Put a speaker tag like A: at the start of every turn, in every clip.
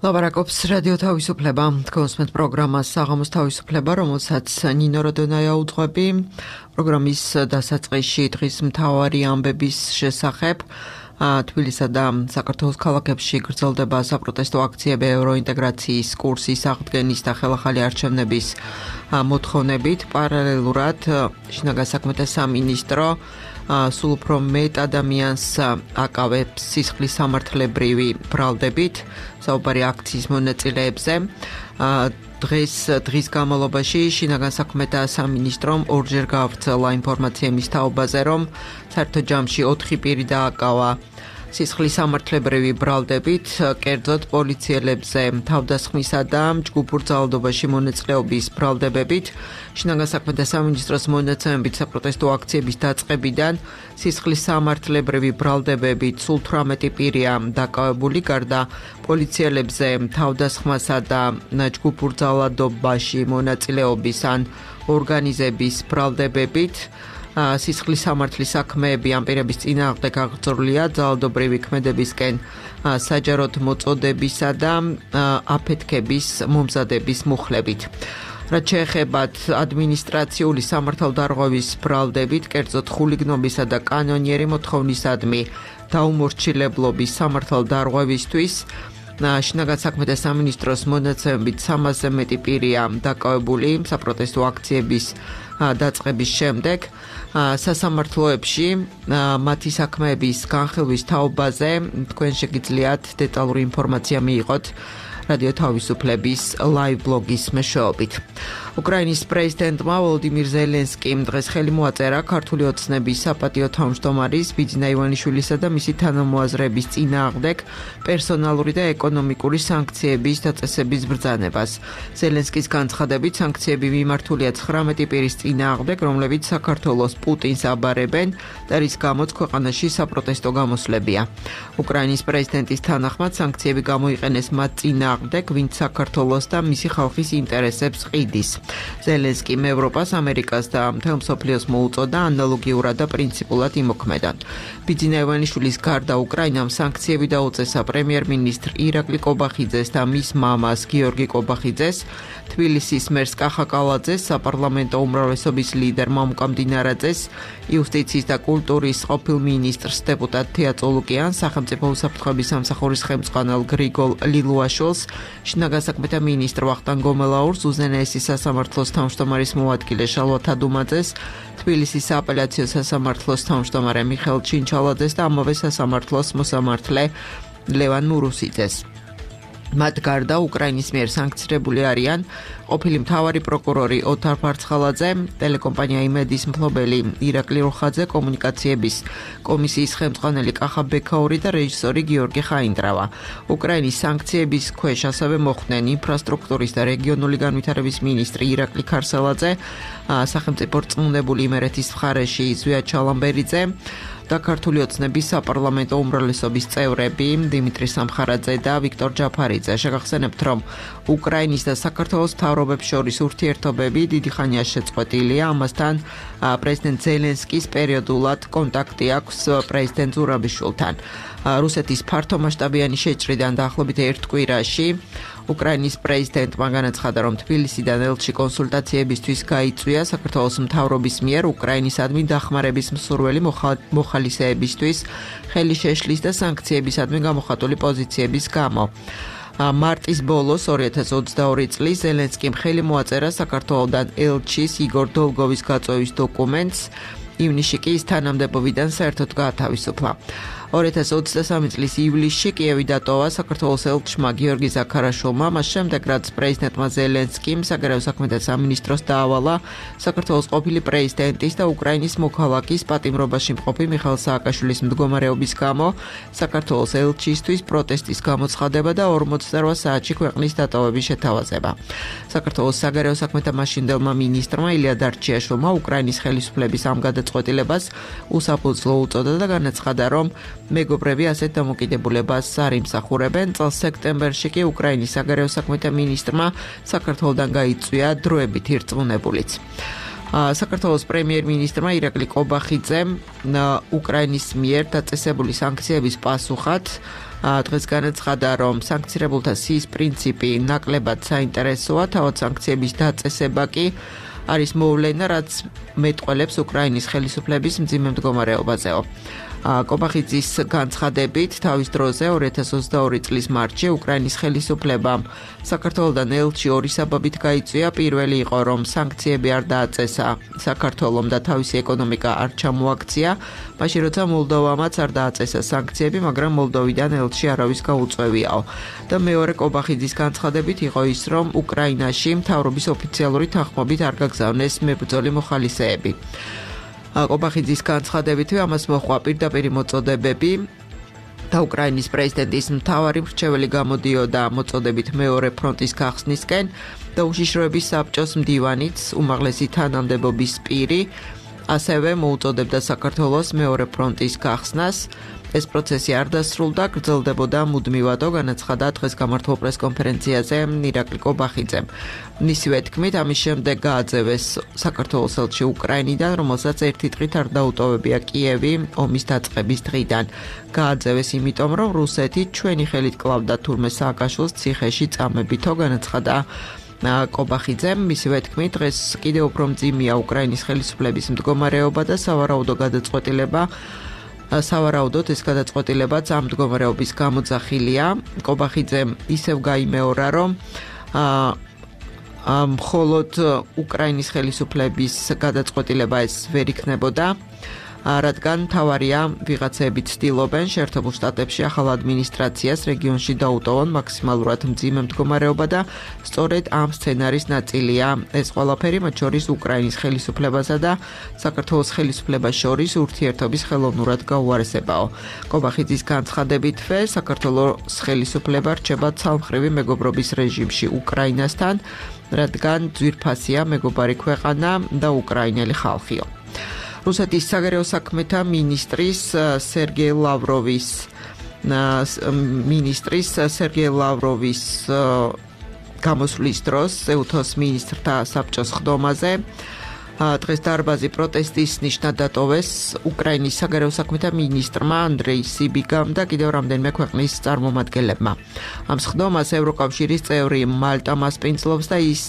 A: ლაპარაკობს რადიო თავისუფლება, თქვენსმეთ პროგრამას საღამოს თავისუფლება, რომელსაც ნინო როდონაია უძღვები. პროგრამის დასაწყისში დღის მთავარი ამბების შესახებ თბილისსა და საქართველოს ქალაქებში გრძელდება საპროტესტო აქციები ევროინტეგრაციის კურსის აღდგენის და ხელახალი არჩევნების მოთხოვნებით. პარალელურად შინაგან საქმეთა სამინისტრო სულ უფრო მეტ ადამიანს აკავებს სისხლის სამართლებრივი ბრალდებით საუბარი აქციის მონაწილეებზე. დღის განმავლობაში შინაგან საქმეთა სამინისტრომ ორჯერ გაავრცელა ინფორმაცია იმის თაობაზე, რომ საერთო ჯამში 4 პირი დააკავა სისხლის სამართლებრივი ბრალდებით, კერძოდ პოლიციელებზე თავდასხმისა და ჯგუფურ ძალადობაში მონაწილეობის ბრალდებებით. შინაგან საქმეთა სამინისტროს მონაცემებით საპროტესტო აქციების დაწყებიდან სისხლის სამართლებრივი ბრალდებებით სულ 18 პირია დაკავებული, გარდა პოლიციელებზე თავდასხმასა და ჯგუფურ ძალადობაში მონაწილეობის ან ორგანიზების ბრალდებებით. სისხლის სამართლის საქმეები ამ პირების წინააღმდეგ აღძრულია ძალადობრივი ქმედებისკენ საჯაროდ მოწოდებისა და აფეთქების მომზადების მუხლებით. რაც შეეხებათ ადმინისტრაციული სამართალდარღვევის ბრალდებით, კერძოდ ხულიგნობისა და კანონიერი მოთხოვნისადმი დაუმორჩილებლობის სამართალდარღვევისთვის, შინაგან საქმეთა სამინისტროს მონაცემებით 300-ზე მეტი პირია დაკავებული საპროტესტო აქციების დაწყების შემდეგ. სასამართლოებში მათი საქმეების განხილვის თაობაზე თქვენ შეგიძლიათ დეტალური ინფორმაცია მიიღოთ რადიო თავისუფლების ლაივ ბლოგის მეშვეობით. უკრაინის პრეზიდენტმა ვოლოდიმირ ზელენსკიმ დღეს ხელი მოაწერა ქართული ოცნების საპატიო თავმჯდომარის ბიძინა ივანიშვილისა და მისი თანამოაზრეების წინააღმდეგ პერსონალური და ეკონომიკური სანქციების დაწესების ბრძანებას. ზელენსკის განცხადებით, სანქციები მიმართულია 19 პირის წინააღმდეგ, რომლებიც საქართველოს პუტინს აბარებენ და რის გამოც ქვეყანაში საპროტესტო გამოსვლებია. უკრაინის პრეზიდენტის თანახმად, სანქციები გამოიყენეს მათ წინააღმდეგ, ვინც საქართველოს და მისი ხალხის ინტერესებს ყიდის. ზელენსკიმ ევროპას, ამერიკას და მთელ მსოფლიოს მოუწოდა ანალოგიურად და პრინციპულად იმოქმედან. ბიძინა ივანიშვილის გარდა უკრაინამ სანქციები დაუწესა პრემიერ-მინისტრ ირაკლი კობახიძეს და მის მამას გიორგი კობახიძეს, თბილისის მერს კახა კალაძეს, საპარლამენტო უმრავლესობის ლიდერ მამუკა მდინარაძეს, იუსტიციის და კულტურის ყოფილ მინისტრს დეპუტატ თეა წოლუკიანს, სახელმწიფო უსაფრთხოების სამსახურის ხელმძღვანელ გრიგოლ ლილუაშვილს, შინაგან საქმეთა მინისტრ ვახტანგ გომელაურს, უზენაესის სასამართლოს თავმჯდომარის მოადგილე შალვა თადუმაძეს, თბილისის სააპელაციო სასამართლოს თავმჯდომარე მიხეილ ჩინჩალაძეს და ამავე სასამართლოს მოსამართლე ლევან მურუსიძეს. მათ გარდა უკრაინის მიერ სანქცირებული არიან ყოფილი მთავარი პროკურორი ოთარ ფარცხალაძე, ტელეკომპანია იმედის მფლობელი ირაკლი როხაძე, კომუნიკაციების კომისიის ხელმძღვანელი კახა ბექაური და რეჟისორი გიორგი ხაინდრავა. უკრაინის სანქციების ქვეშ ასევე მოხვდნენ ინფრასტრუქტურის და რეგიონული განვითარების მინისტრი ირაკლი ქარსელაძე, სახელმწიფო რწმუნებული იმერეთის მხარეში ზვია ჩალამბერიძე და ქართული ოცნების საპარლამენტო უმრავლესობის წევრები დიმიტრი სამხარაძე და ვიქტორ ჯაფარიძე. შეგახსენებთ, რომ უკრაინის და საქართველოს მთავრობებს შორის ურთიერთობები დიდი ხანია შეწყვეტილია. ამასთან პრეზიდენტ ზელენსკის პერიოდულად კონტაქტი აქვს პრეზიდენტ ზურაბიშვილთან. რუსეთის ფართომასშტაბიანი შეჭრიდან დაახლოებით 1 კვირაში უკრაინის პრეზიდენტმა განაცხადა, რომ თბილისიდან ელჩი კონსულტაციებისთვის გაიწვია საქართველოს მთავრობის მიერ უკრაინისადმი დახმარების მსურველი მოხალისეებისთვის ხელი შეშლის და სანქციებისადმი გამოხატული პოზიციების გამო. მარტის ბოლოს 2022 წლის ზელენსკიმ ხელი მოაწერა საქართველოდან ელჩის იგორ დოლგოვის გაწვევის დოკუმენტს, ივნისში კი ის თანამდებობიდან საერთოდ გაათავისუფლა. 2023 წლის ივლისში კიევი დატოვა საქართველოს ელჩმა გიორგი ზაქარაშვილმა, მას შემდეგ რაც პრეზიდენტმა ზელენსკიმ საგარეო საქმეთა სამინისტროს დაავალა საქართველოს ყოფილი პრეზიდენტის და უკრაინის მოქალაქის პატიმრობაში მყოფი მიხეილ სააკაშვილის მდგომარეობის გამო საქართველოს ელჩისთვის პროტესტის გამოცხადება და 48 საათში ქვეყნის დატოვების შეთავაზება. საქართველოს საგარეო საქმეთა მაშინდელმა მინისტრმა ილია დარჩიაშვილმა უკრაინის ხელისუფლების ამ გადაწყვეტილებას უსაფუძვლო უწოდა და განაცხადა, რომ მეგობრები ასეთ დამოკიდებულებას არ იმსახურებენ. წელს სექტემბერში კი უკრაინის საგარეო საქმეთა მინისტრმა საქართველოდან გაიწვია დროებით ირწმუნებულიც. საქართველოს პრემიერ-მინისტრმა ირაკლი კობახიძემ უკრაინის მიერ დაწესებული სანქციების პასუხად დღეს განაცხადა, რომ სანქცირებულთა სიის პრინციპი ნაკლებად საინტერესოა, თავად სანქციების დაწესება კი არის მოვლენა, რაც მეტყველებს უკრაინის ხელისუფლების მძიმე მდგომარეობაზეო. კობახიძის განცხადებით, თავის დროზე 2022 წლის მარტში უკრაინის ხელისუფლებამ საქართველოდან ელჩი ორი საბაბით გაიწვია. პირველი იყო, რომ სანქციები არ დააწესა საქართველომ და თავისი ეკონომიკა არ ჩამოაქცია, მაშინ როცა მოლდოვამაც არ დააწესა სანქციები, მაგრამ მოლდოვიდან ელჩი არავის გაუწვევიაო. და მეორე კობახიძის განცხადებით იყო ის, რომ უკრაინაში მთავრობის ოფიციალური თანხმობით არ გაგზავნეს მებრძოლი მოხალისეები. კობახიძის განცხადებითვე ამას მოჰყვა პირდაპირი მოწოდებები და უკრაინის პრეზიდენტის მთავარი მრჩეველი გამოდიოდა მოწოდებით მეორე ფრონტის გახსნისკენ და უშიშროების საბჭოს მდივანიც უმაღლესი თანამდებობის პირი ასევე მოუწოდებდა საქართველოს მეორე ფრონტის გახსნას. ეს პროცესი არ დასრულდა, გრძელდებოდა მუდმივადო, განაცხადა დღეს გამართულ პრესკონფერენციაზე ირაკლი კობახიძემ. მისივე თქმით, ამის შემდეგ გააძევეს საქართველოს ელჩი უკრაინიდან, რომელსაც ერთი დღით არ დაუტოვებია კიევი ომის დაწყების დღიდან. გააძევეს იმიტომ, რომ რუსეთი ჩვენი ხელით კლავდა თურმე სააკაშვილს ციხეში წამებითო, განაცხადა კობახიძემ. მისივე თქმით, დღეს კიდევ უფრო მძიმეა უკრაინის ხელისუფლების მდგომარეობა და სავარაუდოდ ეს გადაწყვეტილებაც ამ მდგომარეობის გამოძახილია. კობახიძემ ისევ გაიმეორა, რომ მხოლოდ უკრაინის ხელისუფლების გადაწყვეტილება ეს ვერ იქნებოდა, რადგან მთავარია ვიღაცები ცდილობენ შეერთებულ შტატებში ახალ ადმინისტრაციას რეგიონში დაუტოვონ მაქსიმალურად მძიმე მდგომარეობა და სწორედ ამ სცენარის ნაწილია ეს ყველაფერი, მათ შორის უკრაინის ხელისუფლებასა და საქართველოს ხელისუფლებას შორის ურთიერთობის ხელოვნურად გაუარესებაო. კობახიძის განცხადებითვე საქართველოს ხელისუფლება რჩება ცალმხრივი მეგობრობის რეჟიმში უკრაინასთან, რადგან ძვირფასია მეგობარი ქვეყანა და უკრაინელი ხალხიო. რუსეთის საგარეო საქმეთა მინისტრის სერგეი ლავროვის გამოსვლის დროს ეუთოს მინისტრთა საბჭოს ხდომაზე დღეს დარბაზი პროტესტის ნიშნად დატოვეს უკრაინის საგარეო საქმეთა მინისტრმა ანდრეი სიბიგამ და კიდევ რამდენიმე ქვეყნის წარმომადგენლებმა. ამ ხდომას ევროკავშირის წევრი მალტა მასპინძლობს და ის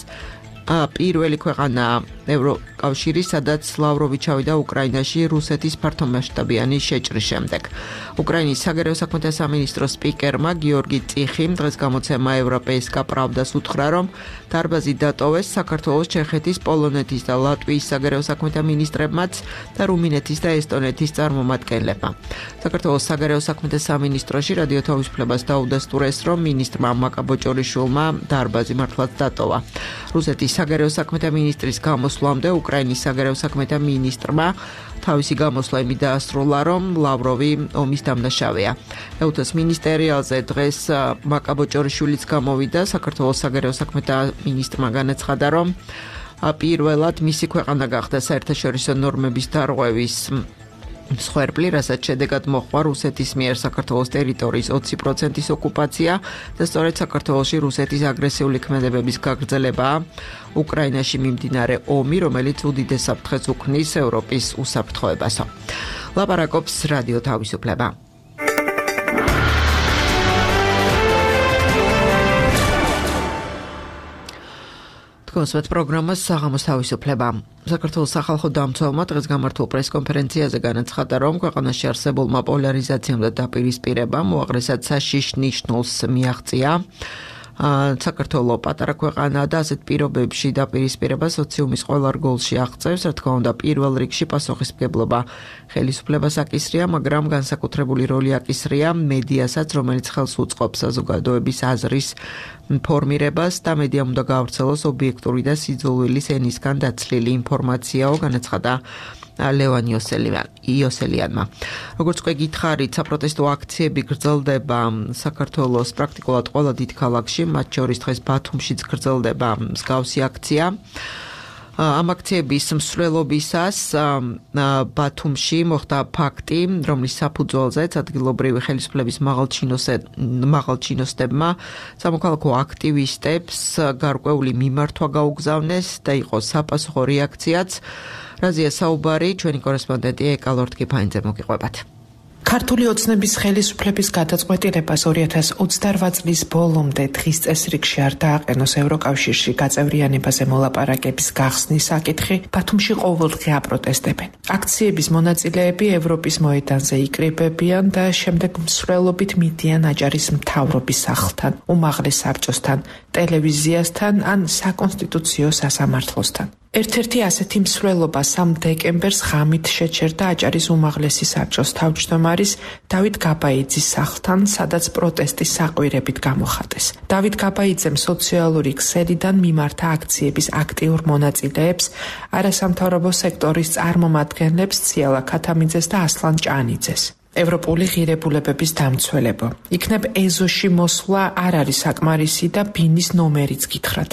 A: პირველი ქვეყანა ევროკავშირი, სადაც ლავროვი ჩავიდა უკრაინაში რუსეთის ფართომასშტაბიანი შეჭრის შემდეგ. უკრაინის საგარეო საქმეთა სამინისტროს სპიკერმა გიორგი წიხიმ დღეს გამოცემა ევროპეისკა პრავდას უთხრა, რომ დარბაზი დატოვეს საქართველოს, ჩეხეთის, პოლონეთის და ლატვიის საგარეო საქმეთა მინისტრებმაც და რუმინეთის და ესტონეთის წარმომადგენლებმა. საქართველოს საგარეო საქმეთა სამინისტროში რადიო თავისუფლებას დაუდასტურეს, რომ მინისტრმა მაკაბოჭორიშვილმა დარბაზი მართლაც დატოვა. რუსეთის საგარეო საქმეთა მინისტრის გამოსვლამდე უკრაინის საგარეო საქმეთა მინისტრმა თავისი გამოსვლა იმით დაასრულა, რომ ლავროვი ომის დამნაშავეა. ეუთოს მინისტერიალზე დღეს მაკაბოჭორიშვილიც გამოვიდა. საქართველოს საგარეო საქმეთა მინისტრმა განაცხადა, რომ პირველად მისი ქვეყანა გახდა საერთაშორისო ნორმების დარღვევის მსხვერპლი, რასაც შედეგად მოჰყვა რუსეთის მიერ საქართველოს ტერიტორიის 20%-ის ოკუპაცია და სწორედ საქართველოში რუსეთის აგრესიული ქმედებების გაგრძელებაა უკრაინაში მიმდინარე ომი, რომელიც უდიდეს საფრთხეს უქმნის ევროპის უსაფრთხოებასო. ლაპარაკობს რადიო თავისუფლება. კონსვეთ პროგრამას საღამოს თავისუფლება. საქართველოს სახალხო დამცველმა დღეს გამართულ პრესკონფერენციაზე განაცხადა, რომ ქვეყანაში არსებულმა პოლარიზაციამ და დაპირისპირებამ უაღრესად საშიშ ნიშნულს მიაღწია. საქართველო პატარა ქვეყანაა და ასეთ პირობებში დაპირისპირება სოციუმის ყველა რგოლში აღწევს, რა თქმა უნდა, პირველ რიგში პასუხისმგებლობა ხელისუფლებას აკისრია, მაგრამ განსაკუთრებული როლი აკისრია მედიასაც, რომელიც ხელს უწყობს საზოგადოების აზრის ფორმირებას და მედიამ უნდა გაავრცელოს ობიექტური და სიძულვილის ენისგან დაცლილი ინფორმაციაო, განაცხადა ლევან იოსელიანმა. როგორც უკვე გითხარით, საპროტესტო აქციები გრძელდება საქართველოს პრაქტიკულად ყველა დიდ ქალაქში, მათ შორის დღეს ბათუმშიც გრძელდება მსგავსი აქცია. ამ აქციების მსვლელობისას ბათუმში მოხდა ფაქტი, რომლის საფუძველზეც ადგილობრივი ხელისუფლების მაღალჩინოსნებმა სამოქალაქო აქტივისტებს გარკვეული მიმართვა გაუგზავნეს და იყო საპასუხო რეაქციაც. რაზეა საუბარი, ჩვენი კორესპონდენტი ეკა ლორთქიფაინძე მოგიყვებათ.
B: ქართული ოცნების ხელისუფლების გადაწყვეტილებას 2028 წლის ბოლომდე დღის წესრიგში არ დააყენოს ევროკავშირში გაწევრიანებაზე მოლაპარაკების გახსნის საკითხი ბათუმში ყოველდღე აპროტესტებენ. აქციების მონაწილეები ევროპის მოედანზე იკრიბებიან და შემდეგ მსვლელობით მიდიან აჭარის მთავრობის სახლთან, უმაღლეს საბჭოსთან, ტელევიზიასთან ან საკონსტიტუციო სასამართლოსთან. ერთ-ერთი ასეთი მსვლელობა 3 დეკემბერს ღამით შეჩერდა აჭარის უმაღლესი საბჭოს თავმჯდომარის დავით გაბაიძის სახლთან, სადაც პროტესტის საყვირებით გამოხატეს. დავით გაბაიძემ სოციალური ქსელიდან მიმართა აქციების აქტიურ მონაწილეებს, არასამთავრობო სექტორის წარმომადგენლებს ციალა ქათამიძეს და ასლან ჭანიძეს. ევროპული ღირებულებების დამცველებო. იქნებ ეზოში მოსვლა არ არის საკმარისი და ბინის ნომერიც გითხრათ.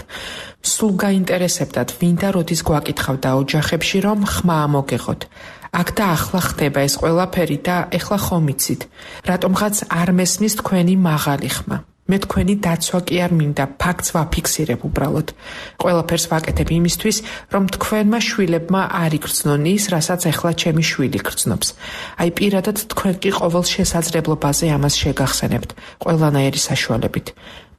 B: სულ გაინტერესებდათ, ვინ და როდის გვაკითხავდა ოჯახებში, რომ ხმა მოგეღოთ. აქ და ახლა ხდება ეს ყველაფერი და ეხლა ხომ იცით, რატომღაც არ მესმის თქვენი მაღალი ხმა. მე თქვენი დაცვა კი არ მინდა, ფაქტს ვაფიქსირებ უბრალოდ. ყველაფერს ვაკეთებ იმისთვის, რომ თქვენმა შვილებმა არ იგრძნონ ის, რასაც ეხლა ჩემი შვილი გრძნობს. აი პირადად თქვენ კი ყოველ შესაძლებლობაზე ამას შეგახსენებთ, ყველანაირი საშუალებით.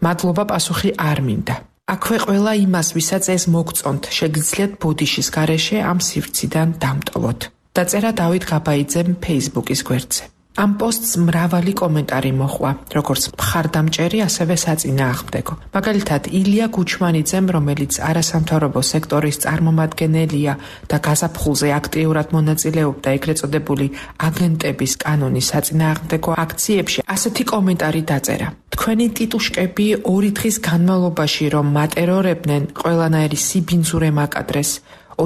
B: მადლობა, პასუხი არ მინდა. აქვე ყველა იმას, ვისაც ეს მოგწონთ, შეგიძლიათ ბოდიშის გარეშე ამ სივრციდან დამტოვოთ. დაწერა დავით გაბაიძემ Facebook-ის გვერდზე. ამ პოსტს მრავალი კომენტარი მოჰყვა, როგორც მხარდამჭერი, ასევე საწინააღმდეგო. მაგალითად, ილია გუჩმანიძემ, რომელიც არასამთავრობო სექტორის წარმომადგენელია და გაზაფხულზე აქტიურად მონაწილეობდა ეგრეთ წოდებული აგენტების კანონის საწინააღმდეგო აქციებში, ასეთი კომენტარი დაწერა. თქვენი ტიტუშკები 2 დღის განმავლობაში რომ მატერორებდნენ, ყველანაირი სიბინძურე მაკადრეს.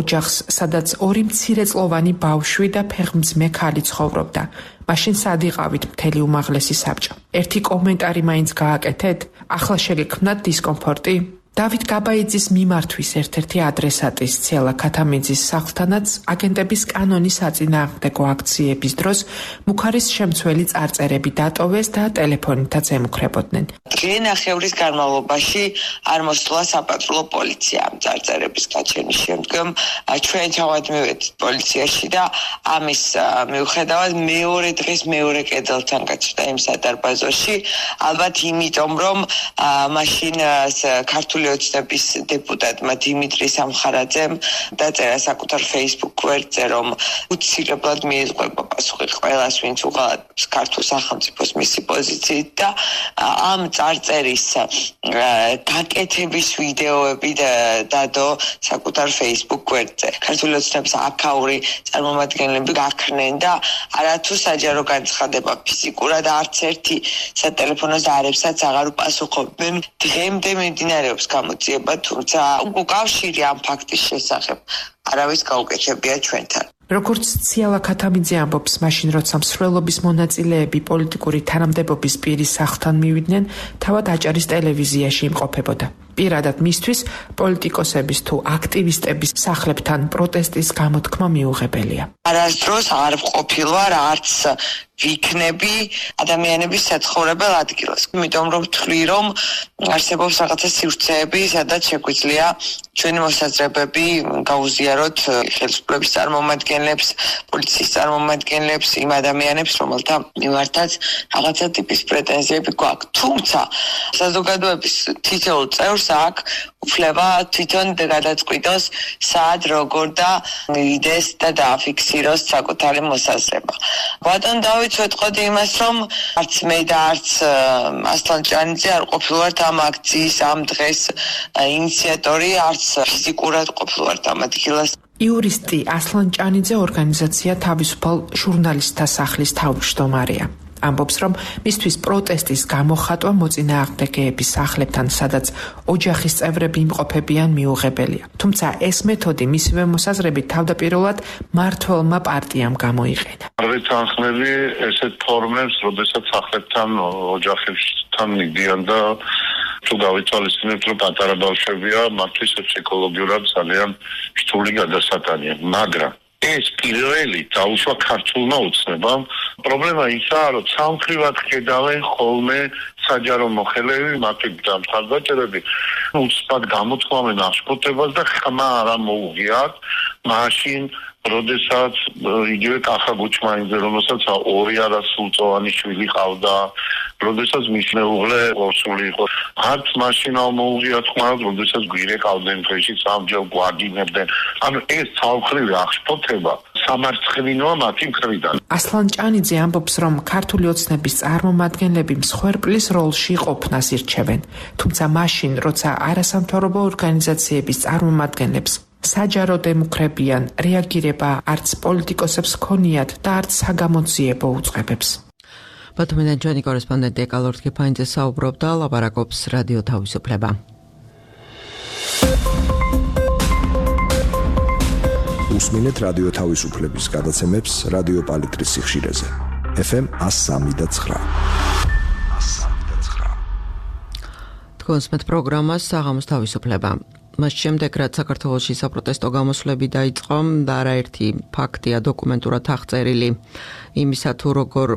B: ოჯახს, სადაც 2 მცირეწლოვანი ბავშვი და ფეხმძიმე ქალი ცხოვრობდა. მაშინ სად იყავით მთელი უმაღლესი საბჭო? ერთი კომენტარი მაინც გააკეთეთ? ახლა შეგექმნათ დისკომფორტი? დავით გაბაიძის მიმართვის ერთ-ერთი ადრესატის ციალა ქათამიძის სახლთანაც აგენტების კანონის საწინააღმდეგო აქციების დროს მუქარის შემცველი წარწერები დატოვეს და ტელეფონითაც ემუქრებოდნენ.
C: დღე-ნახევრის განმავლობაში არ მოსულა საპატრულო პოლიცია ამ წარწერების გაჩენის შემდგომ. ჩვენ ჩავადმევით პოლიციაში და ამის მიუხედავად მეორე დღეს მეორე კედელთან გაცვდა იმ სადარბაზოში. ალბათ იმიტომ, რომ მაშინ ქართული ოცნების დეპუტატმა დიმიტრი სამხარაძემ დაწერა საკუთარ Facebook გვერდზე, რომ უცილებლად მიეძღვება პასუხი ყველას, ვინც უღალატებს ქართულ სახელმწიფოს მისი პოზიციით და ამ წარწერის გაკეთების ვიდეოები დადო საკუთარ Facebook გვერდზე. ქართული ოცნების აქაური წარმომადგენლები გაქრნენ და არათუ საჯარო განცხადება ფიზიკურად არც ერთი სატელეფონო ზარებსაც აღარ უპასუხობენ. დღემდე მიმდინარეობს გამოძიება, თუმცა უკავშირი ამ ფაქტის შესახებ არავის გაუკეთებია ჩვენთან.
B: როგორც ციალა ქათამიძე ამბობს, მაშინ როცა მსვლელობის მონაწილეები პოლიტიკური თანამდებობის პირის სახლთან მივიდნენ, თავად აჭარის ტელევიზიაში იმყოფებოდა. პირადად მისთვის პოლიტიკოსების თუ აქტივისტების სახლებთან პროტესტის გამოთქმა მიუღებელია.
C: არასდროს არ ვყოფილვარ არც ვიქნები ადამიანების საცხოვრებელ ადგილას. იმიტომ რომ ვთვლი, რომ არსებობს რაღაცა სივრცეები, სადაც შეგვიძლია ჩვენი მოსაზრებები გაუზიაროთ ხელისუფლების წარმომადგენლებს, პოლიციის წარმომადგენლებს, იმ ადამიანებს, რომელთა მიმართაც რაღაცა ტიპის პრეტენზიები გვაქვს. თუმცა საზოგადოების თითოეულ წევრს აქ უფლება თვითონ გადაწყვიტოს, სად, როგორ და იდეს და დააფიქსიროს საკუთარი მოსაზრება. ბატონ დავით ვეტყოდი იმას, რომ არც მე და არც ასლან ჭანიძე არ ყოფილვართ ამ აქციის ამ დღეს ინიციატორი, არც ფიზიკურად ყოფილვართ ამ ადგილას.
B: იურისტი ასლან ჭანიძე ორგანიზაცია თავისუფალ ჟურნალისტთა სახლის თავმჯდომარეა. ამბობს, რომ მისთვის პროტესტის გამოხატვა მოწინააღმდეგეების სახლებთან, სადაც ოჯახის წევრები იმყოფებიან, მიუღებელია. თუმცა ეს მეთოდი მისივე მოსაზრებით თავდაპირველად მმართველმა პარტიამ გამოიყენა.
D: არ ვეთანხმები ესეთ ფორმებს, როდესაც სახლებთან, ოჯახებთან მიდიან და თუ გავიცვალისწინებთ, რომ პატარა ბავშვებია, მათთვის ფსიქოლოგიურად ძალიან რთული გადასატანია, მაგრამ ეს პირველი დაუშვა ქართულმა უცნებამ. პრობლემა ისაა, რომ სამხრივად ხედავენ ხოლმე საჯარო მოხელეები, მათი დამთავრებები უცბად გამოთქვამენ აღშფოთებას და ხმა არ მოუღიათ მაშინ როდესაც იგივე კახა გუჩმაინზე, რომელსაც 2 არასრულწლოვანი შვილი ჰყავდა, როდესაც მის მეუღლე ორსული იყო, არც მაშინ არ მოუღიათ ხმა, როდესაც გვირე ყავდნენ დღეში სამჯერ გვაგინებდნენ. ანუ ეს თავხრივი აღშფოთება სამარცხინოა მათი მხრიდან.
B: ასლან ჭანიძე ამბობს, რომ ქართული ოცნების წარმომადგენლები მსხვერპლის როლში ყოფნას ირჩევენ, თუმცა მაშინ, როცა არასამთავრობო ორგანიზაციების წარმომადგენლებს საჯარო დემუქრებიან, რეაგირება არც პოლიტიკოსებს ქონიათ და არც საგამოძიებო უწყებებს.
A: ბათუმიდან ჩვენი კორესპონდენტი ეკალორთ კიფაინძე საუბრობდა, ლაპარაკობს რადიო თავისუფლება.
E: უსმინეთ რადიო თავისუფლების გადაცემებს რადიო პალიტრის სიხშირეზე. FM 103.9.
A: თქვენს მეტ პროგრამას საღამოს თავისუფლება. მას შემდეგ, რაც საქართველოში საპროტესტო გამოსვლები დაიწყო და არაერთი ფაქტია დოკუმენტურად აღწერილი იმისა, თუ როგორ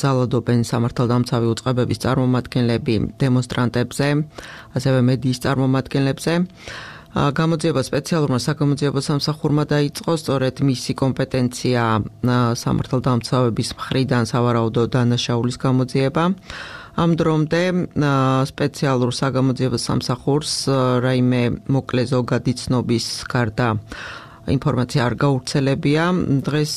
A: ძალადობენ სამართალდამცავი უწყებების წარმომადგენლები დემონსტრანტებზე, ასევე მედიის წარმომადგენლებზე. გამოძიება სპეციალურმა საგამოძიებო სამსახურმა დაიწყო, სწორედ მისი კომპეტენცია სამართალდამცავების მხრიდან სავარაუდო დანაშაულის გამოძიება. ამ დრომდე სპეციალურ საგამოძიებო სამსახურს რაიმე მოკლე ზოგადი ცნობის გარდა ინფორმაცია არ გავრცელებია. დღეს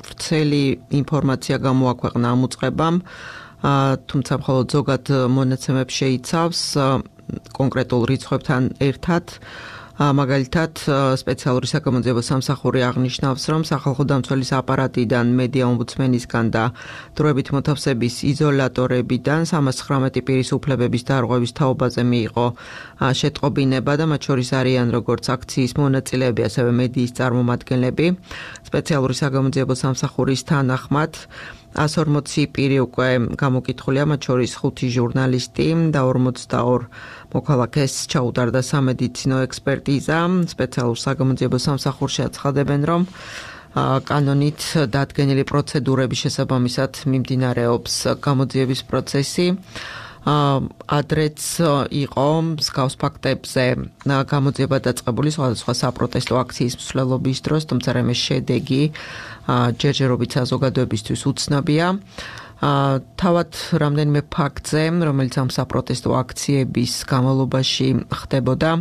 A: ვრცელი ინფორმაცია გამოაქვეყნა ამ უწყებამ, თუმცა მხოლოდ ზოგად მონაცემებს შეიცავს კონკრეტულ რიცხვებთან ერთად. მაგალითად, სპეციალური საგამოძიებო სამსახური აღნიშნავს, რომ სახალხო დამცველის აპარატიდან, მედია ომბუდსმენისგან და დროებით მოთავსების იზოლატორებიდან 319 პირის უფლებების დარღვევის თაობაზე მიიღო შეტყობინება და მათ შორის არიან როგორც აქციის მონაწილეები, ასევე მედიის წარმომადგენლები. სპეციალური საგამოძიებო სამსახურის თანახმად 140 პირი უკვე გამოკითხულია, მათ შორის 5 ჟურნალისტი და 42 მოქალაქეს ჩაუტარდა სამედიცინო ექსპერტიზა. სპეციალურ საგამოძიებო სამსახურში აცხადებენ, რომ კანონით დადგენილი პროცედურების შესაბამისად მიმდინარეობს გამოძიების პროცესი. ადრეც იყო მსგავს ფაქტებზე გამოძიება დაწყებული სხვადასხვა საპროტესტო აქციის მსვლელობის დროს, თუმცა რამე შედეგი ჯერჯერობით საზოგადოებისთვის უცნობია. თავად რამდენიმე ფაქტზე, რომელიც ამ საპროტესტო აქციების განმავლობაში ხდებოდა.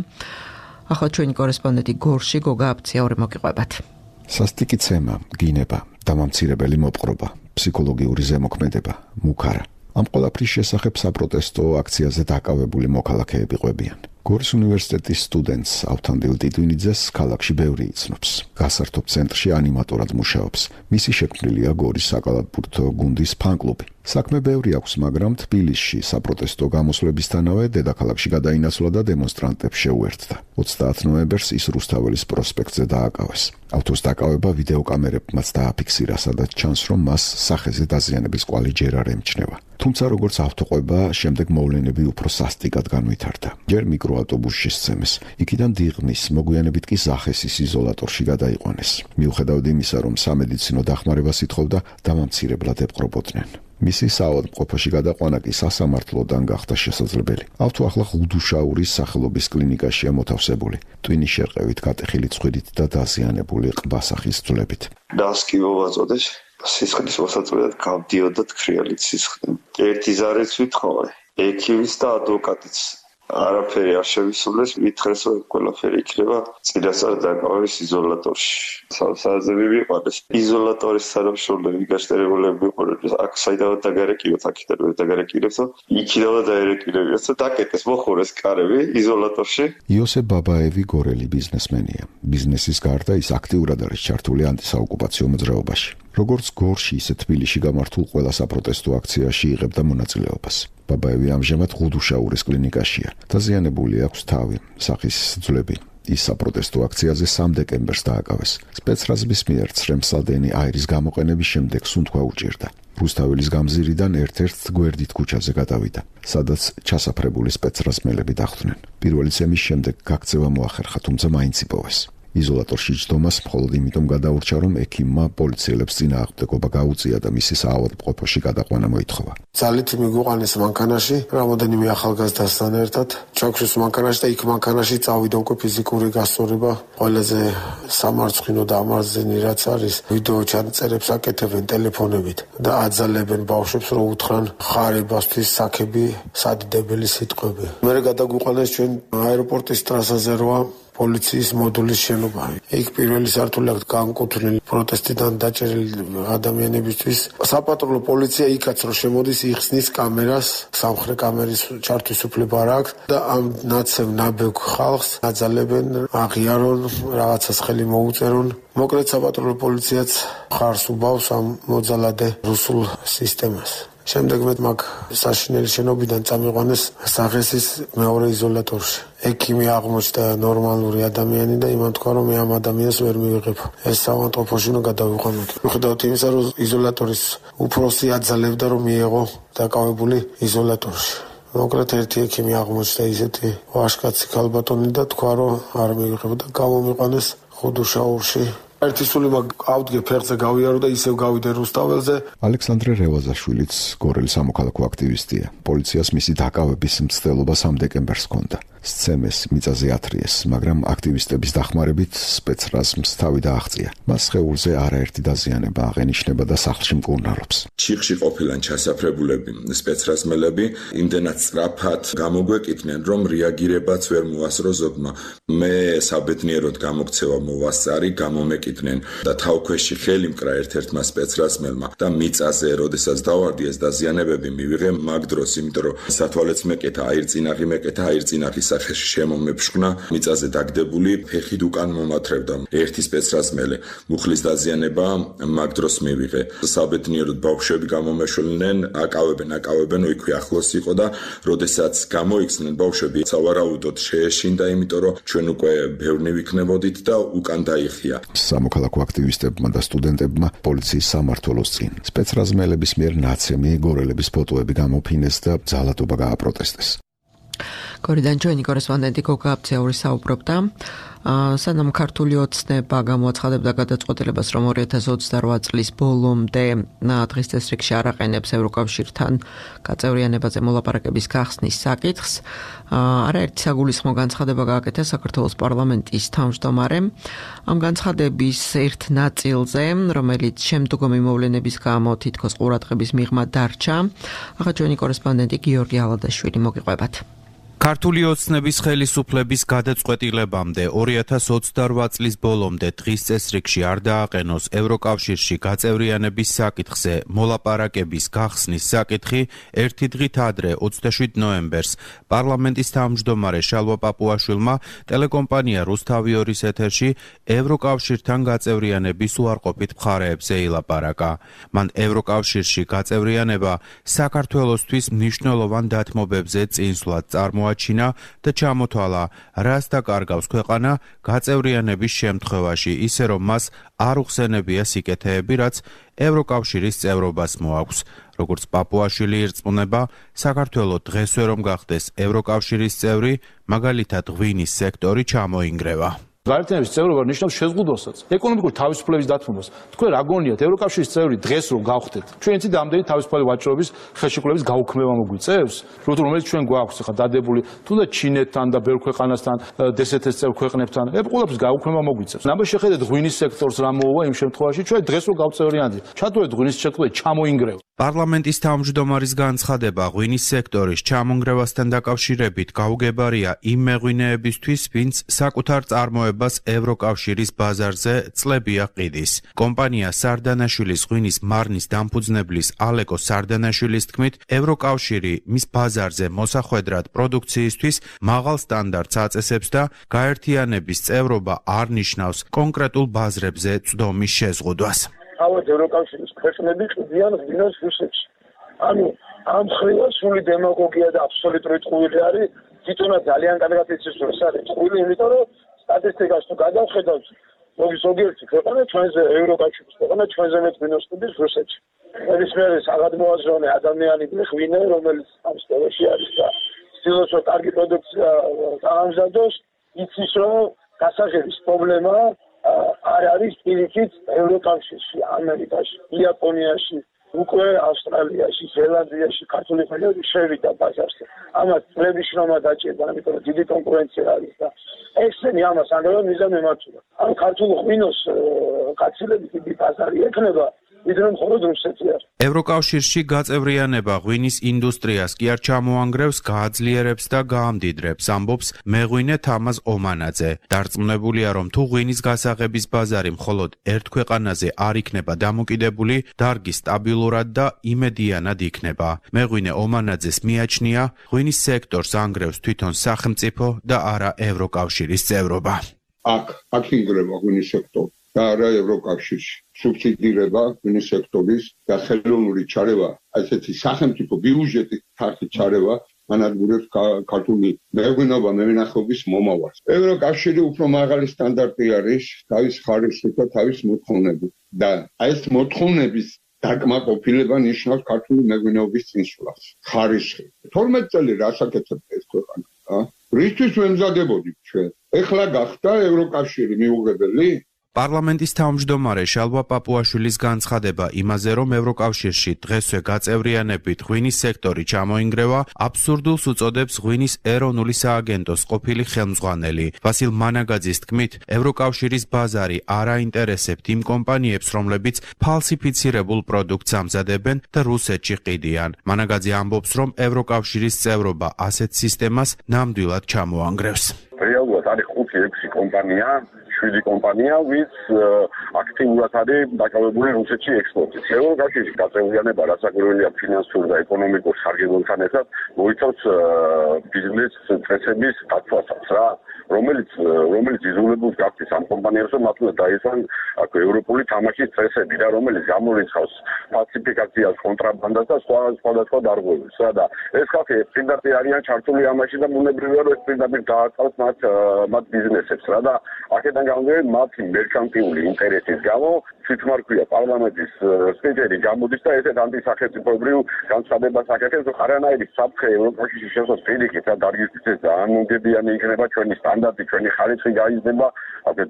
A: ახლა ჩვენი კორესპონდენტი გორში გოგა აფციაური მოგიყვებათ.
E: სასტიკი ცემა, გინება, დამამცირებელი მოპყრობა, ფსიქოლოგიური ზემოქმედება, მუქარა. ამ ყველაფრის შესახებ საპროტესტო აქციაზე დაკავებული მოქალაქეები ყვებიან. გორის უნივერსიტეტის სტუდენტს ავთანდილ ტიტვინიძეს ქალაქში ბევრი იცნობს. გასართობ ცენტრში ანიმატორად მუშაობს. მისი შექმნილია გორის საკალათბურთო გუნდის ფან-კლუბი. საქმე ბევრი აქვს, მაგრამ თბილისში საპროტესტო გამოსვლებისთანავე დედაქალაქში გადაინაცვლა და დემონსტრანტებს შეუერთდა. 30 ნოემბერს ის რუსთაველის პროსპექტზე დააკავეს. ავტოს დაკავება ვიდეოკამერებმაც დააფიქსირა, სადაც ჩანს, რომ მას სახეზე დაზიანების კვალი ჯერ არ ემჩნევა. თუმცა როგორც ავტოყვება, შემდეგ მოვლენები უფრო სასტიკად განვითარდა. ჯერ მიკროავტობუსში სცემეს, იქიდან დიღმის, მოგვიანებით კი ზახესის იზოლატორში გადაიყვანეს. მიუხედავად იმისა, რომ სამედიცინო დახმარებას ითხოვდა, დამამცირებლად ეპყრობოდნენ. მისი საავადმყოფოში გადაყვანა კი სასამართლოდან გახდა შესაძლებელი. ავთო ახლა ღუდუშაურის სახელობის კლინიკაშია მოთავსებული. ტვინის შერყევით გატეხილი ცხვირით და დაზიანებული ყბასახის ძვლებით.
F: დასკი მოვაწოდეს. სისხლის მოსაწყვეტად გავდიოდა თქრიალით სისხლი. ერთი ზარეც ვითხოვე. ექიმის და ადვოკატიც არაფერი არ შევისრულეს, მითხრეს, რომ ყველაფერი იქნება წინასწარ დაკავების იზოლატორში. საზები ვიყარეს. იზოლატორის სანამშრომლები გაშტერებულები ვიყურეთ. აქ საიდანაც დაგარეკილოთ, აქედან დაგარეკილებს, იქიდანაც დაერეკილებიათ და დაკეტეს მოხურეს კარები იზოლატორში.
E: იოსებ ბაბაევი გორელი ბიზნესმენია. ბიზნესის გარდა ის აქტიურად არის ჩართული ანტისაოკუპაციო მოძრაობაში. როგორც გორში, ისე თბილისში გამართულ ყველა საპროტესტო აქციაში იღებდა მონაწილეობას. ბაბაევი ამჟამად ღუდუშაურის კლინიკაშია. დაზიანებული აქვს თავი, სახის ძვლები. ის საპროტესტო აქციაზე 3 დეკემბერს დააკავეს. სპეცრაზების მიერ ცრემსადენი აირის გამოყენების შემდეგ სუნთქვა უჭირდა. რუსთაველის გამზირიდან ერთ-ერთ გვერდით ქუჩაზე გადავიდა, სადაც ჩასაფრებული სპეცრაზმელები დახვდნენ. პირველი ცემის შემდეგ გაქცევა მოახერხა, თუმცა მაინც იპოვეს. იზოლატორში ჯდომას მხოლოდ იმიტომ გადაურჩა, რომ ექიმმა პოლიციელებს წინააღმდეგობა გაუწია და მისი საავადმყოფოში გადაყვანა მოითხოვა.
G: ძალით მიგვიყვანეს მანქანაში, რამოდენიმე ახალგაზრდასთან ერთად. ჩაგვშეს მანქანაში და იქ მანქანაში წავიდა უკვე ფიზიკური გასწორება. ყველაზე სამარცხვინო და ამარზენი რაც არის, ვიდეო ჩანაწერებს აკეთებენ ტელეფონებით და აძალებენ ბავშვებს, რომ უთხრან ხარებასთვის საქები, სადიდებელი სიტყვები. მერე გადაგვიყვანეს ჩვენ აეროპორტის ტრასაზე როა პოლიციის მოდულის შენობა. იქ პირველი სართული აქვს განკუთვნილი პროტესტიდან დაჭერილი ადამიანებისთვის. საპატრულო პოლიცია იქაც რომ შემოდის, იხსნის კამერას, სამხრეთ კამერის ჩართვის უფლება არ აქვს და ამ ნაცევ ნაბეგვ ხალხს აძალებენ, აღიარონ, რაღაცას ხელი მოუწერონ. მოკლედ საპატრულო პოლიციაც ხარს უბავს ამ მოძალადე რუსულ სისტემას. შემდეგ მე მაგ საშინელი შენობიდან წამიყვანეს სახესის მეორე იზოლატორში. ექიმი აღმოჩნდა ნორმალური ადამიანი და იმან თქვა, რომ მე ამ ადამიანს ვერ მივიღებ. ეს საავადმყოფოში უნდა გადავიყვანოთ. მიუხედავად იმისა, რომ იზოლატორის უფროსი აძალებდა, რომ მიეღო დაკავებული იზოლატორში. მოკლედ ერთი ექიმი აღმოჩნდა ისეთი ვაშკაცი ქალბატონი და თქვა, რომ არ მივიღებ და გამომიყვანეს ხუდუშაურში. ერთი სული ავდგე ფეხზე გავიარო და ისევ გავიდე რუსთაველზე.
E: ალექსანდრე რევაზაშვილიც გორელი სამოქალაქო აქტივისტია. პოლიციას მისი დაკავების მცდელობა 3 დეკემბერს ჰქონდა. სცემეს მიწაზე ათრიეს, მაგრამ აქტივისტების დახმარებით სპეცრაზმს თავი დააღწია. მას სხეულზე არაერთი დაზიანება აღენიშნება და სახლში მკურნალობს.
H: ჩიხში ყოფილან ჩასაფრებულები სპეცრაზმელები იმდენად სწრაფად გამოგვეკითნენ, რომ რეაგირებაც ვერ მოასწრო ზოგმა. მე საბედნიეროდ გამოქცევა მოვასწარი, გამომეკითნენ და თავქვეში ხელი მკრა ერთ-ერთმა სპეცრაზმელმა და მიწაზე, როდესაც დავარდი ეს დაზიანებები მივიღე მაგ დროს, იმიტომ რომ სათვალეც მეკეთა, აირწინაღი მეკეთა, აირწინაღის სახეში შემომეფშქნა, მიწაზე დაგდებული, ფეხით უკან მომათრევდა. ერთი სპეცრაზმელი მუხლის დაზიანება მაგ დროს მივიღე. საბედნიეროდ ბავშვები გამომეშველნენ, აკავებენ, იქვე ახლოს იყო და როდესაც გამოიქცნენ ბავშვები, სავარაუდოდ შეეშინდა, იმიტომ რომ ჩვენ უკვე ბევრნი ვიქნებოდით და უკან დაიხია.
E: სამოქალაქო აქტივისტებმა და სტუდენტებმა პოლიციის სამმართველოს წინ სპეცრაზმელების მიერ ნაცემი გორელების ფოტოები გამოფინეს და ძალადობა გააპროტესტეს.
A: გორიდან ჩვენი კორესპონდენტი გოგა აბცეური საუბრობდა. სანამ ქართული ოცნება გამოაცხადებდა გადაწყვეტილებას, რომ 2028 წლის ბოლომდე დღის წესრიგში არ აყენებს ევროკავშირთან გაწევრიანებაზე მოლაპარაკების გახსნის საკითხს, არაერთი საგულისხმო განცხადება გააკეთა საქართველოს პარლამენტის თავმჯდომარემ. ამ განცხადების ერთ ნაწილზე, რომელიც შემდგომი მოვლენების გამო თითქოს ყურადღების მიღმა დარჩა, ახლა ჩვენი კორესპონდენტი გიორგი ალადაშვილი მოგიყვებათ.
I: ქართული ოცნების ხელისუფლების გადაწყვეტილებამდე 2028 წლის ბოლომდე დღის წესრიგში არ დააყენოს ევროკავშირში გაწევრიანების საკითხზე მოლაპარაკების გახსნის საკითხი ერთი დღით ადრე 27 ნოემბერს პარლამენტის თავმჯდომარე შალვა პაპუაშვილმა ტელეკომპანია რუსთავი 2-ის ეთერში ევროკავშირთან გაწევრიანების უარყოფით მხარეებზე ილაპარაკა. მან ევროკავშირში გაწევრიანება საქართველოსთვის მნიშვნელოვან დათმობებზე წინსვლად წარმოაჩინა და ჩამოთვალა, რას დაკარგავს ქვეყანა გაწევრიანების შემთხვევაში, ისე რომ მას არ უხსენებია სიკეთეები, რაც ევროკავშირის წევრობას მოაქვს. როგორც პაპუაშვილი ირწმუნება, საქართველო დღესვე რომ გახდეს ევროკავშირის წევრი, მაგალითად ღვინის სექტორი ჩამოინგრევა.
J: გაერთიანების წევრობა ნიშნავს შეზღუდვასაც, ეკონომიკური თავისუფლების დათმობას. თქვენ რა გონიათ, ევროკავშირის წევრი დღეს რომ გავხდეთ, ჩვენ იცით ამდენი თავისუფალი ვაჭრობის ხელშეკრულების გაუქმება მოგვიწევს, რომელიც ჩვენ გვაქვს ხა დადებული თუნდაც ჩინეთთან და ბევრ ქვეყანასთან, DST-ს წევრ ქვეყნებთან, ყველაფრის გაუქმება მოგვიწევს. ნაბა შეხედეთ ღვინის სექტორს რა მოუვა იმ შემთხვევაში, ჩვენ დღეს რომ გავწევრიანდით, ჩათვალეთ ღვინის სექტორი ჩამოინგრევა.
I: პარლამენტის თავმჯდომარის განცხადება ღვინის სექტორის ჩამონგრევასთან დაკავშირებით გაუგებარია იმ მეღვინეებისთვის, ვინც საკუთარ წარმოებას ევროკავშირის ბაზარზე წლებია ყიდის. კომპანია სარდანაშვილის ღვინის მარნის დამფუძნებლის ალეკო სარდანაშვილის თქმით, ევროკავშირი მის ბაზარზე მოსახვედრად პროდუქციისთვის მაღალ სტანდარტს აწესებს და გაერთიანების წევრობა არ ნიშნავს კონკრეტულ ბაზრებზე წვდომის შეზღუდვას.
K: თავად ევროკავშირის ქვეყნები ყიდიან ღვინოს რუსეთში. ანუ ამ ხრივა სული დემაგოგია და აბსოლუტური ტყუილი არის. თვითონაც ძალიან კარგად იცის, რომ ეს არის ტყუილი, იმიტომ რომ სტატისტიკას თუ გადავხედავთ, ზოგიერთი ქვეყანა ჩვენზე ევროკავშირის ქვეყანა ჩვენზე მეტ მინუსტების რუსეთში. ნებისმიერი საგადმოაზროვნე ადამიანი გვხვინა, რომელიც ამ სფეროში არის და ცდილობს რომ კარგი პროდუქცია დაამზადოს, იცის რომ გასაღების პრობლემა არ არის პირიქით ევროკავშირში, ამერიკაში, იაპონიაში, უკვე ავსტრალიაში, ზელანდიაში ქართული ფერმერები შევიდა ბაზარზე. ამას წლების შრომა დაჭირდა, ამიტომ დიდი კონკურენცია არის და ესენი ამას ამბობენ მიზან მემართულა. ამ ქართულ ღვინოს გაცილებით დიდი ბაზარი ექნება.
I: ევროკავშირში გაწევრიანება ღვინის ინდუსტრიას კი არ ჩამოანგრევს, გააძლიერებს და გაამდიდრებს, ამბობს მეღვინე თამაზ ომანაძე. დარწმუნებულია, რომ თუ ღვინის გასაღების ბაზარი მხოლოდ ერთ ქვეყანაზე არ იქნება დამოკიდებული, დარგი სტაბილურად და იმედიანად იქნება. მეღვინე ომანაძეს მიაჩნია, ღვინის სექტორს ანგრევს თვითონ სახელმწიფო და არა ევროკავშირის წევრობა.
L: აქ ინგრევა ღვინის სექტორი და არა ევროკავშირში. სუბსიდირება ღვინის სექტორის და ხელოვნური ჩარევა, ასეთი სახელმწიფო ბიუჯეტის ფართი ჩარევა ანადგურებს ქართული მეღვინეობა მევენახეობის მომავალს. ევროკავშირი უფრო მაღალი სტანდარტი არის თავის ხარისხით და თავის მოთხოვნებით და ეს მოთხოვნების დაკმაყოფილება ნიშნავს ქართული მეღვინეობის წინსვლას. ხარისხი. 12 წელი რას აკეთებდა ეს ქვეყანა? რისთვის ვემზადებოდით ჩვენ? ეხლა გახდა ევროკავშირი მიუღებელი?
I: პარლამენტის თავმჯდომარე შალვა პაპუაშვილის განცხადება იმაზე, რომ ევროკავშირში დღესვე გაწევრიანებით ღვინის სექტორი ჩამოინგრევა, აბსურდულს უწოდებს ღვინის ეროვნული სააგენტოს ყოფილი ხელმძღვანელი. ვასილ მანაგაძის თქმით, ევროკავშირის ბაზარი არ აინტერესებთ იმ კომპანიებს, რომლებიც ფალსიფიცირებულ პროდუქტს ამზადებენ და რუსეთში ყიდიან. მანაგაძე ამბობს, რომ ევროკავშირის წევრობა ასეთ სისტემას ნამდვილად ჩამოანგრევს.
M: რეალურად არის 5-6 კომპანია 7 კომპანია, ვინც აქტიურად არის დაკავებული რუსეთში ექსპორტით. ევროკავშირში გაწევრიანება, რაც აგვირგვინია ფინანსურ და ეკონომიკურ სარგებლობთან ერთად, მოიცავს ბიზნეს წესების დაცვასაც რა, რომელიც იზოლებულს გახდის ამ კომპანიებს, რომ მათ უნდა დაიცვან ევროპული თამაშის წესები და რომელიც გამორიცხავს ფალსიფიკაციას, კონტრაბანდას და სხვადასხვა დარღვევებს რა და ეს ხალხი პირდაპირ არიან ჩართული ამაში და ბუნებრივია რომ ეს პირდაპირ დააწავს მათ ბიზნესებს რა და აქედან გამომდინარე მათი მერკანტიული ინტერესის გამო თვითმარქვია პარლამენტის სპიკერი გამოდის და ესეთ ანტისახელმწიფოებრივ განცხადებას აკეთებს, რომ არანაირი საფრთხე ევროკავშირში შესვლის პირიქით და დარგის დამოუკიდებელი იქნება ჩვენი სტანდარტი, ჩვენი ხარისხი გაიზრდება,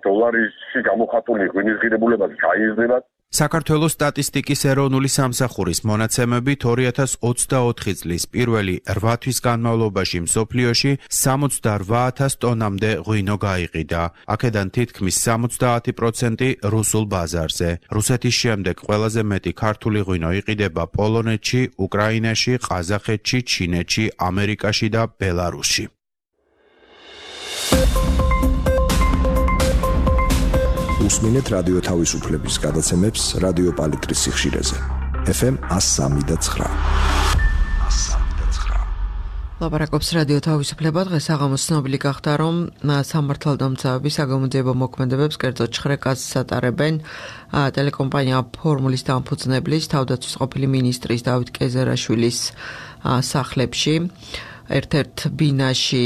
M: დოლარში გამოხატული ღვინის ღირებულებაც გაიზრდება.
I: საქართველოს სტატისტიკის ეროვნული სამსახურის მონაცემებით 2024 წლის პირველი 8 თვის განმავლობაში მსოფლიოში 68,000 ტონამდე ღვინო გაიყიდა. აქედან თითქმის 70% რუსულ ბაზარზე. რუსეთის შემდეგ ყველაზე მეტი ქართული ღვინო იყიდება პოლონეთში, უკრაინაში, ყაზახეთში, ჩინეთში, ამერიკაში და ბელარუსში.
N: უსმინეთ რადიო თავისუფლების გადაცემებს რადიო პალიტრის სიხშირეზე. FM 103.9.
A: ლაპარაკობს რადიო თავისუფლება. დღეს აღამოს ცნობილი გახდა, რომ სამართალდამცავები საგამოძიებო მოქმედებებს კერძოდ შხრეკას ატარებენ ტელეკომპანია ფორმულის დამფუძნებლის თავდაცვის ყოფილი მინისტრის დავით კეზერაშვილის სახლებში. ერთ-ერთ ბინაში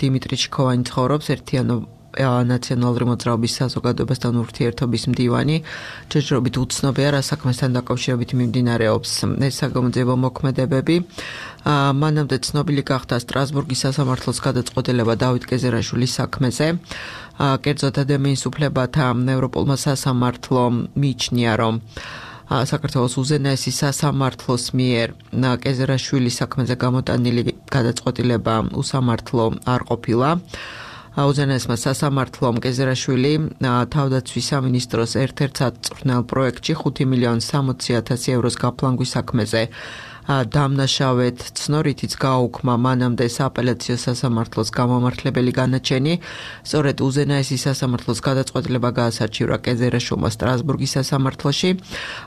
A: დიმიტრი ჩიქოვანი ცხოვრობს, ერთიანო ნაციონალური მოძრაობის საზოგადოებასთან ურთიერთობის მდივანი. ჯერჯერობით უცნობია, რა საქმესთან დაკავშირებით მიმდინარეობს ეს საგამოძიებო მოქმედებები. მანამდე ცნობილი გახდა სტრასბურგის სასამართლოს გადაწყვეტილება დავით კეზერაშვილის საქმეზე. კერძოდ ადამიანის უფლებათა ევროპულმა სასამართლომ მიიჩნია, რომ საქართველოს უზენაესი სასამართლოს მიერ კეზერაშვილის საქმეზე გამოტანილი გადაწყვეტილება უსამართლო არ ყოფილა. უზენაესმა სასამართლომ კეზერაშვილი თავდაცვის სამინისტროს ერთ-ერთ საწვრთნელ პროექტში 5,60,000 ევროს გაფლანგვის საქმეზე დამნაშავედ ცნორითიც გააუქმა მანამდე სააპელაციო სასამართლოს გამომართლებელი განაჩენი. სწორედ უზენაესი სასამართლოს გადაწყვეტილება გაასარჩივრა კეზერაშვილმა სტრასბურგის სასამართლოში.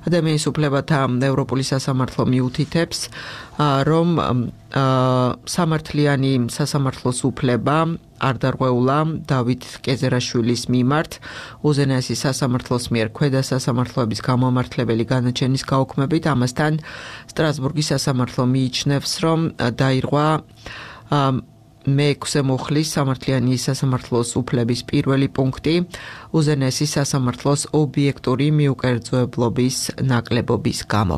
A: ადამიანის უფლებათა ევროპული სასამართლო მიუთითებს, რომ სამართლიანი სასამართლოს უფლება არ დარღვეულა დავით კეზერაშვილის მიმართ უზენაესი სასამართლოს მიერ ქვედა სასამართლოების გამომართლებელი განაჩენის გაუქმებით. ამასთან სტრასბურგის სასამართლო მიიჩნევს, რომ დაირღვა მე-6 მუხლის სამართლიანი სასამართლოს უფლების პირველი პუნქტი უზენაესი სასამართლოს ობიექტური მიუკერძოებლობის ნაკლებობის გამო.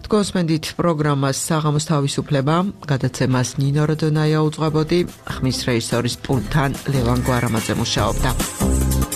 A: Თქვენსმენდით პროგრამას საღამოს თავისუფლება, გადაცემას ნინო როდონაია უძღვებოდი, ხმის რეჟისორის პულტთან ლევან გვარამაძე მუშაობდა.